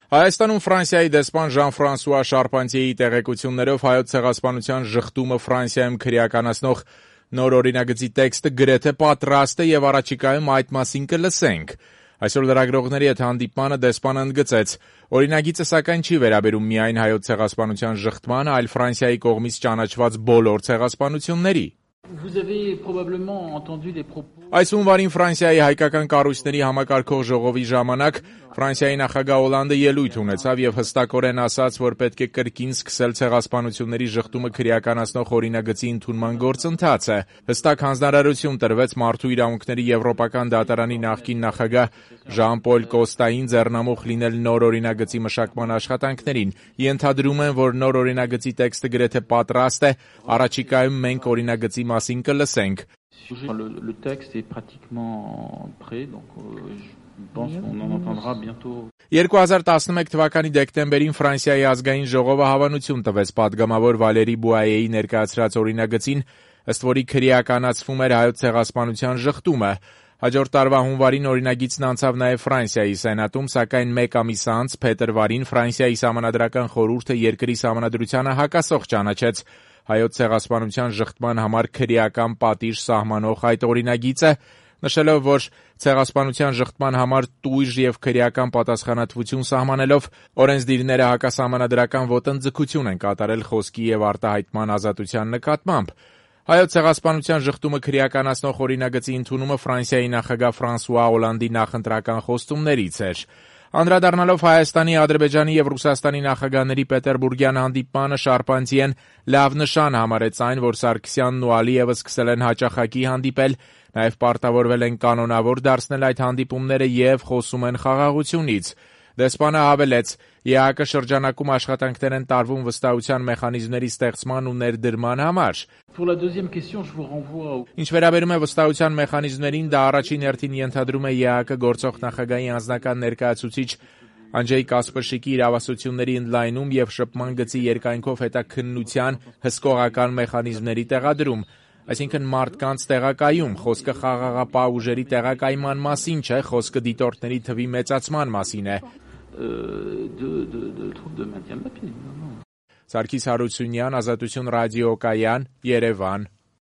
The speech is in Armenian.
Հայաստանում Ֆրանսիայի դեսպան Ժան-Ֆրանսուଆ Շարպանտիեի տեղեկություններով Հայոց ցեղասպանության ժխտումը Ֆրանսիայում քրեականացնող նոր օրինագծի տեքստը գրեթե պատրաստ է եւ առաջիկայում այդ մասին կլսենք։ Այսօր լրագրողների հետ հանդիպմանը դեսպանը ընդգծեց. օրինագիծը սակայն չի վերաբերում միայն Հայոց ցեղասպանության ժխտմանը, այլ Ֆրանսիայի կողմից ճանաչված բոլոր ցեղասպանությունների։ Այս հունվարին Ֆրանսիայի հայկական կառույցների համակարգող ժողովի ժամանակ Ֆրանսիայի նախագահ Օլանդը ելույթ ունեցավ եւ հստակորեն ասաց, որ պետք է կրկին սկսել ցեղասպանությունների ժխտումը քրեականացնող օրինագծի ընդունման գործընթացը։ Հստակ հանձնարարություն տրվեց Մարդու իրավունքների Եվրոպական դատարանի նախկին նախագահ Ժան-Պոլ Կոստային ձեռնամուխ լինել նոր օրինագծի մշակման աշխատանքներին։ Ենթադրում են, որ նոր օրինագծի տեքստը գրեթե պատրաստ է, առաջիկայում մենք օրինագծի մասին կլսենք։ Le texte est pratiquement prêt, donc je pense qu'on en entendra bientôt. 2011 թվականի դեկտեմբերին Ֆրանսիայի ազգային ժողովը հավանություն տվեց падգամավոր Վալերի Բուայեի ներկայացրած օրինագծին, ըստ որի քրեականացվում էր Հայոց ցեղասպանության ժխտումը։ Հաջորդ տարվա հունվարին օրինագիծն անցավ նաև Ֆրանսիայի սենատում, սակայն մեկ ամիս անց փետրվարին Ֆրանսիայի սահմանադրական խորհուրդը երկրի սահմանադրությանը հակասող ճանաչեց Հայոց ցեղասպանության ժխտման համար քրեական պատիժ սահմանող այդ օրինագիծը, նշելով, որ ցեղասպանության ժխտման համար տույժ եւ քրեական պատասխանատվություն սահմանելով օրենսդիրները հակասահմանադրական ոտնձգություն են կատարել խոսքի եւ արտահայտման ազատության նկատմամբ։ Հայոց ցեղասպանության ժխտումը քրեականացնող օրինագծի ընդունումը Ֆրանսիայի նախագահ Ֆրանսուଆ Օլանդի նախընտրական խոստումներից էր։ Անդրադառնալով Հայաստանի, Ադրբեջանի եւ Ռուսաստանի նախագահների Պետերբուրգյան հանդիպմանը Շարպանտիեն լավ նշան համարեց այն, որ Սարգսյանն ու Ալիևը սկսել են հաճախակի հանդիպել, նաեւ պարտավորվել են կանոնավոր դարձնել այդ հանդիպումները եւ խոսում են խաղաղությունից։ Դեսպանը հավելեց. ԵԱՀԿ շրջանակում աշխատանքներ են տարվում վստահության մեխանիզմների ստեղծման ու ներդրման համար։ Ինչ վերաբերում է վստահության մեխանիզմներին, դա առաջին հերթին ենթադրում է ԵԱՀԿ գործող նախագահի անձնական ներկայացուցիչ Անջեյ Կասպրշիկի իրավասությունների ընդլայնում եւ շփման գծի երկայնքով հետաքննության հսկողական մեխանիզմների տեղադրում, այսինքն մարդկանց տեղակայում, խոսքը խաղաղապահ ուժերի տեղակայման մասին չէ, խոսքը դիտորդների թվի մեծացման մասին է։ Սարգիս Հարությունյան, Ազատություն ռադիոկայան, Երևան։